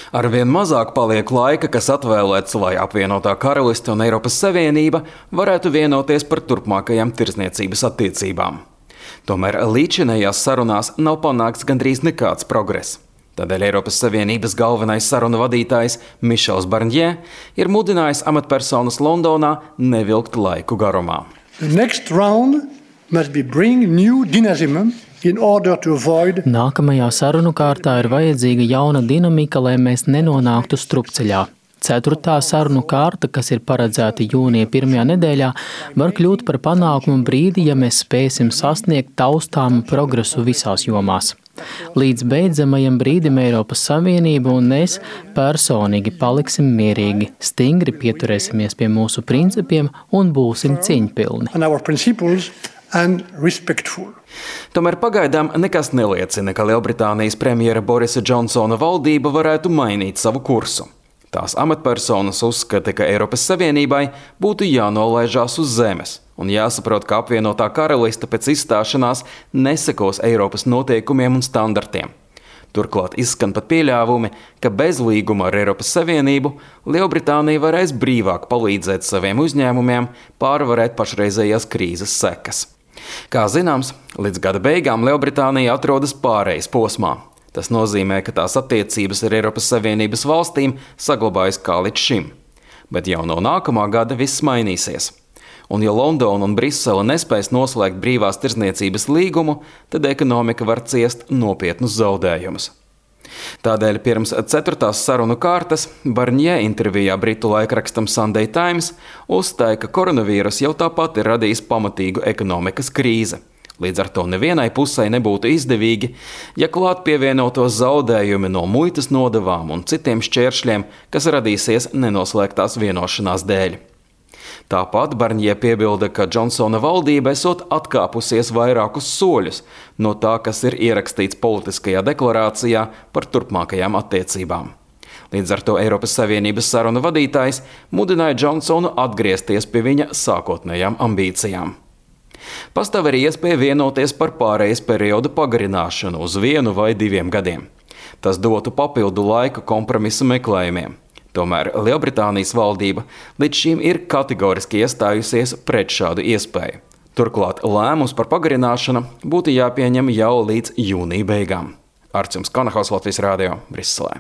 Arvien mazāk paliek laika, kas atvēlēts, lai apvienotā karaliste un Eiropas Savienība varētu vienoties par turpmākajām tirdzniecības attiecībām. Tomēr līdzinējās sarunās nav panākts gandrīz nekāds progress. Tādēļ Eiropas Savienības galvenais sarunu vadītājs Mišels Barņē ir mudinājis amatpersonas Londonā nevilkt laiku garumā. The next round must be bring new dynamism in order to avoid. Nākamajā sarunu kārtā ir vajadzīga jauna dinamika, lai mēs nenonāktu strupceļā. 4. sarunu kārta, kas ir paredzēta jūnija 1. nedēļā, var kļūt par panākumu brīdi, ja mēs spēsim sasniegt taustāmu progresu visās jomās. Līdz beidzamajam brīdim Eiropas Savienība un es personīgi paliksim mierīgi, stingri pieturēsimies pie mūsu principiem un būsim cieņpilni. Tomēr pagaidām nekas neliecina, ka Lielbritānijas premjera Borisa Džonsona valdība varētu mainīt savu kursu. Tās amatpersonas uzskata, ka Eiropas Savienībai būtu jānolaižās uz zemes un jāsaprot, ka apvienotā karaliste pēc izstāšanās nesekos Eiropas noteikumiem un standartiem. Turklāt izskan pat pieļāvumi, ka bez līguma ar Eiropas Savienību Lielbritānija varēs brīvāk palīdzēt saviem uzņēmumiem pārvarēt pašreizējās krīzes sekas. Kā zināms, līdz gada beigām Lielbritānija atrodas pārejas posmā. Tas nozīmē, ka tās attiecības ar Eiropas Savienības valstīm saglabājas kā līdz šim. Bet jau no nākamā gada viss mainīsies. Un ja Londona un Brisele nespēs noslēgt brīvās tirdzniecības līgumu, tad ekonomika var ciest nopietnus zaudējumus. Tādēļ pirms 4. sarunu kārtas Barņē intervijā britu laikrakstam Sunday Times uzstāja, ka koronavīrus jau tāpat ir radījis pamatīgu ekonomikas krīzi. Līdz ar to nevienai pusei nebūtu izdevīgi, ja klāt pievienotos zaudējumi no muitas nodevām un citiem šķēršļiem, kas radīsies nenoslēgtās vienošanās dēļ. Tāpat Barņē piebilda, ka Džonsona valdība esot atkāpusies vairākus soļus no tā, kas ir ierakstīts politiskajā deklarācijā par turpmākajām attiecībām. Līdz ar to Eiropas Savienības sarunu vadītājs mudināja Džonsonu atgriezties pie viņa sākotnējām ambīcijām. Pastāv arī iespēja vienoties par pārejas periodu pagarināšanu uz 1 vai 2 gadiem. Tas dotu papildu laiku kompromisa meklējumiem. Tomēr Lielbritānijas valdība līdz šim ir kategoriski iestājusies pret šādu iespēju. Turklāt lēmums par pagarināšanu būtu jāpieņem jau līdz jūnija beigām. Arčuns Kanahaus, Latvijas Rādio, Briselē.